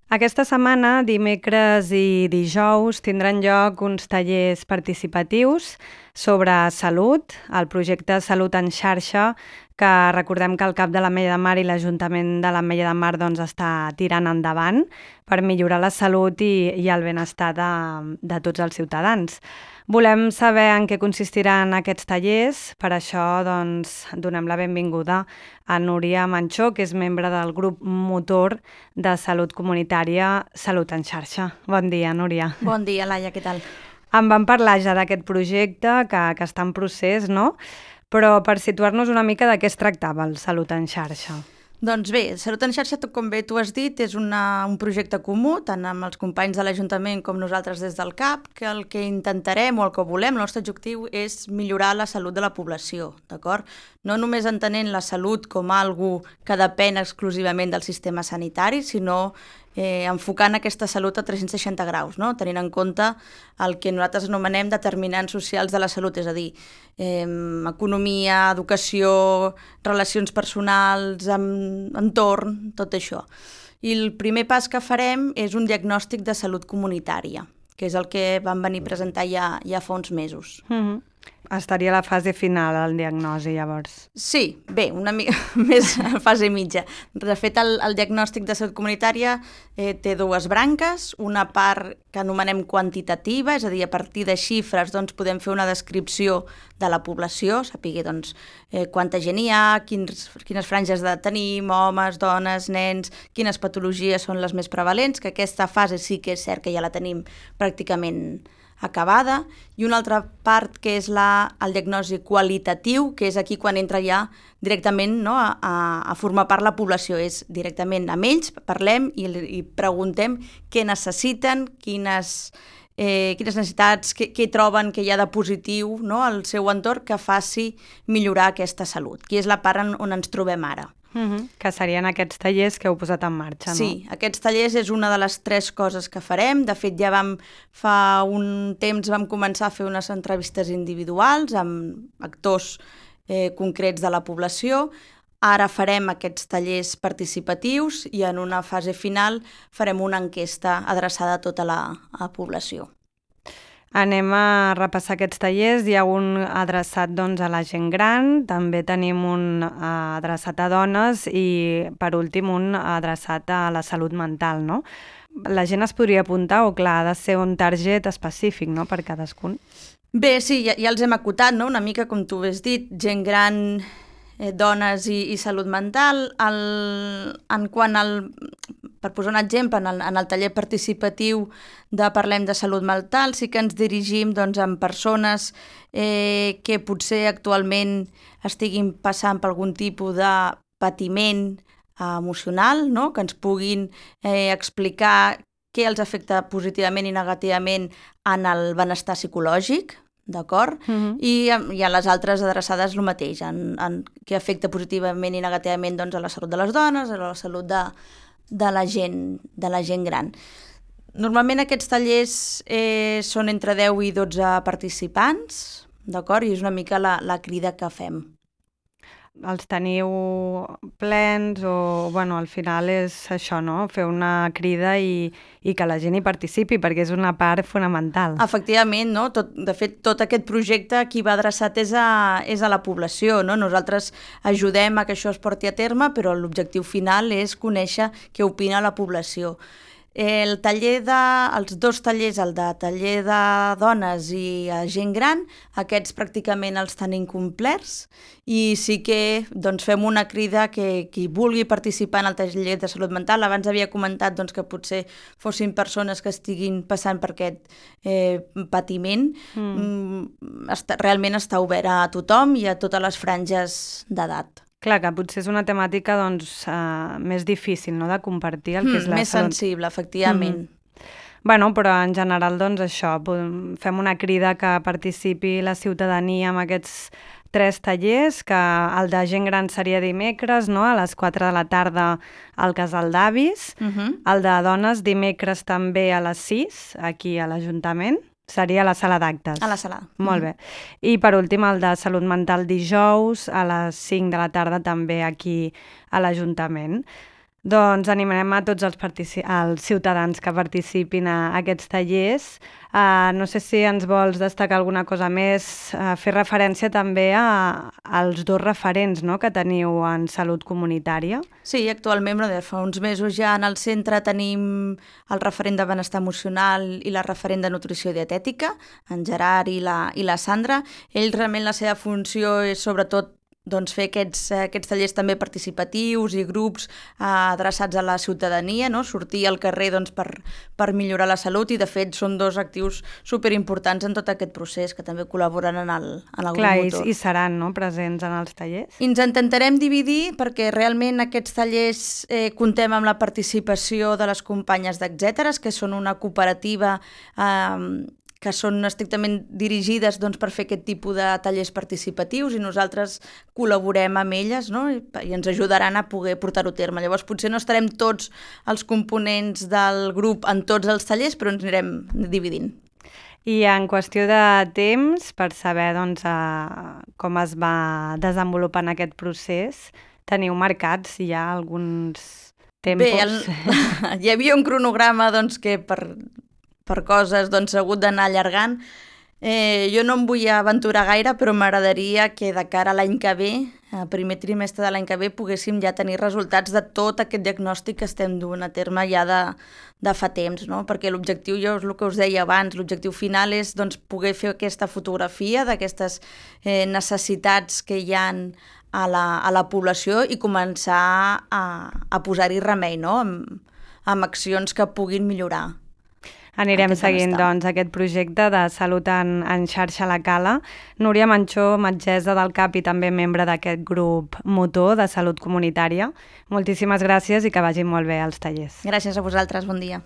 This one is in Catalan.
Aquesta setmana, dimecres i dijous, tindran lloc uns tallers participatius sobre salut, el projecte Salut en xarxa, que recordem que el CAP de l'Ametlla de Mar i l'Ajuntament de l'Ametlla de Mar està tirant endavant per millorar la salut i el benestar de tots els ciutadans. Volem saber en què consistiran aquests tallers, per això donem la benvinguda a Núria Manchó, que és membre del grup motor de salut comunitària Salut en xarxa. Bon dia, Núria. Bon dia, Laia, què tal? En vam parlar ja d'aquest projecte que està en procés, no? Però per situar-nos una mica de què es tractava el Salut en xarxa. Doncs bé, Salut en xarxa, com bé tu has dit, és un projecte comú, tant amb els companys de l'Ajuntament com nosaltres des del CAP, que el que intentarem o el que volem, el nostre objectiu és millorar la salut de la població, d'acord? No només entenent la salut com algo que depèn exclusivament del sistema sanitari, sinó enfocant aquesta salut a 360 graus, no? Tenint en compte el que nosaltres anomenem determinants socials de la salut, és a dir, economia, educació, relacions personals, entorn, tot això. I el primer pas que farem és un diagnòstic de salut comunitària, que és el que vam venir a presentar ja fa uns mesos. Estaria a la fase final, el diagnòstic, llavors. Sí, bé, una mica més a fase mitja. De fet, el diagnòstic de salut comunitària té dues branques, una part que anomenem quantitativa, és a dir, a partir de xifres podem fer una descripció de la població, saber quanta gent hi ha, quines franges d'edat tenim, homes, dones, nens, quines patologies són les més prevalents, que aquesta fase sí que és cert que ja la tenim pràcticament acabada, i una altra part que és el diagnòstic qualitatiu, que és aquí quan entra ja directament a formar part la població, és directament amb ells, parlem i preguntem què necessiten, quines necessitats, què troben que hi ha de positiu al seu entorn que faci millorar aquesta salut, que és la part on ens trobem ara. Que serien aquests tallers que heu posat en marxa, no? Sí, aquests tallers és una de les 3 coses que farem. De fet, ja fa un temps vam començar a fer unes entrevistes individuals amb actors concrets de la població. Ara farem aquests tallers participatius i en una fase final farem una enquesta adreçada a tota la població. Anem a repassar aquests tallers. Hi ha un adreçat a la gent gran, també tenim un adreçat a dones i, per últim, un adreçat a la salut mental, no? La gent es podria apuntar o, clar, ha de ser un target específic, no?, per cadascun. Bé, sí, ja els hem acotat, no?, una mica com tu has dit, gent gran, dones i salut mental. Per posar un exemple, en el taller participatiu de Parlem de Salut Mental sí que ens dirigim amb persones que potser actualment estiguin passant per algun tipus de patiment emocional, no?, que ens puguin explicar què els afecta positivament i negativament en el benestar psicològic, d'acord? I a les altres adreçades el mateix, que afecta positivament i negativament a la salut de les dones, a la salut de la gent gran. Normalment aquests tallers són entre 10 i 12 participants, d'acord? I és una mica la crida que fem. Els teniu plens o, al final és això, no?, fer una crida i que la gent hi participi, perquè és una part fonamental. Efectivament, no? De fet, tot aquest projecte qui va adreçat és a la població, no? Nosaltres ajudem a que això es porti a terme, però l'objectiu final és conèixer què opina la població. Els 2 tallers, el de taller de dones i gent gran, aquests pràcticament els tenim complerts i sí que fem una crida que qui vulgui participar en el taller de salut mental, abans havia comentat que potser fossin persones que estiguin passant per aquest patiment, realment està obert a tothom i a totes les franges d'edat. Clar, que potser és una temàtica més difícil, no?, de compartir el que és la més salut. sensible, efectivament. Però en general, això, fem una crida que participi la ciutadania en aquests 3 tallers, que el de gent gran seria dimecres, no?, a les 4 de la tarda al Casal d'Avis, el de dones dimecres també a les 6, aquí a l'Ajuntament. Seria a la sala d'actes. A la sala. Molt bé. I per últim el de salut mental dijous a les 5 de la tarda també aquí a l'Ajuntament. Doncs animarem a tots els ciutadans que participin a aquests tallers. No sé si ens vols destacar alguna cosa més, fer referència també als 2 referents, no?, que teniu en salut comunitària. Sí, actualment, fa uns mesos ja en el centre tenim el referent de benestar emocional i la referent de nutrició i dietètica, en Gerard i la Sandra. Ells realment la seva funció és sobretot fer aquests tallers també participatius i grups adreçats a la ciutadania, no? Sortir al carrer per millorar la salut, i de fet són 2 actius superimportants en tot aquest procés, que també col·laboren en el grup motor. I seran, no?, presents en els tallers? I ens intentarem dividir perquè realment aquests tallers contem amb la participació de les companyes d'Etcèteres, que són una cooperativa que són estrictament dirigides per fer aquest tipus de tallers participatius, i nosaltres col·laborem amb elles, no?, i ens ajudaran a poder portar-ho a terme. Llavors potser no estarem tots els components del grup en tots els tallers, però ens anirem dividint. I en qüestió de temps, per saber com es va desenvolupant aquest procés, teniu marcats ja alguns tempos? Bé, hi havia un cronograma que per coses s'ha hagut d'anar allargant. Jo no em vull aventurar gaire, però m'agradaria que de cara a l'any que ve, al primer trimestre de l'any que ve, poguéssim ja tenir resultats de tot aquest diagnòstic que estem duent a terme ja de fa temps, no? Perquè l'objectiu, jo és el que us deia abans, l'objectiu final és poder fer aquesta fotografia d'aquestes necessitats que hi ha a la població i començar a posar-hi remei, no?, amb accions que puguin millorar. Anirem seguint, aquest projecte de salut en xarxa a la Cala. Núria Manchó, metgessa del CAP i també membre d'aquest grup motor de salut comunitària. Moltíssimes gràcies i que vagin molt bé els tallers. Gràcies a vosaltres, bon dia.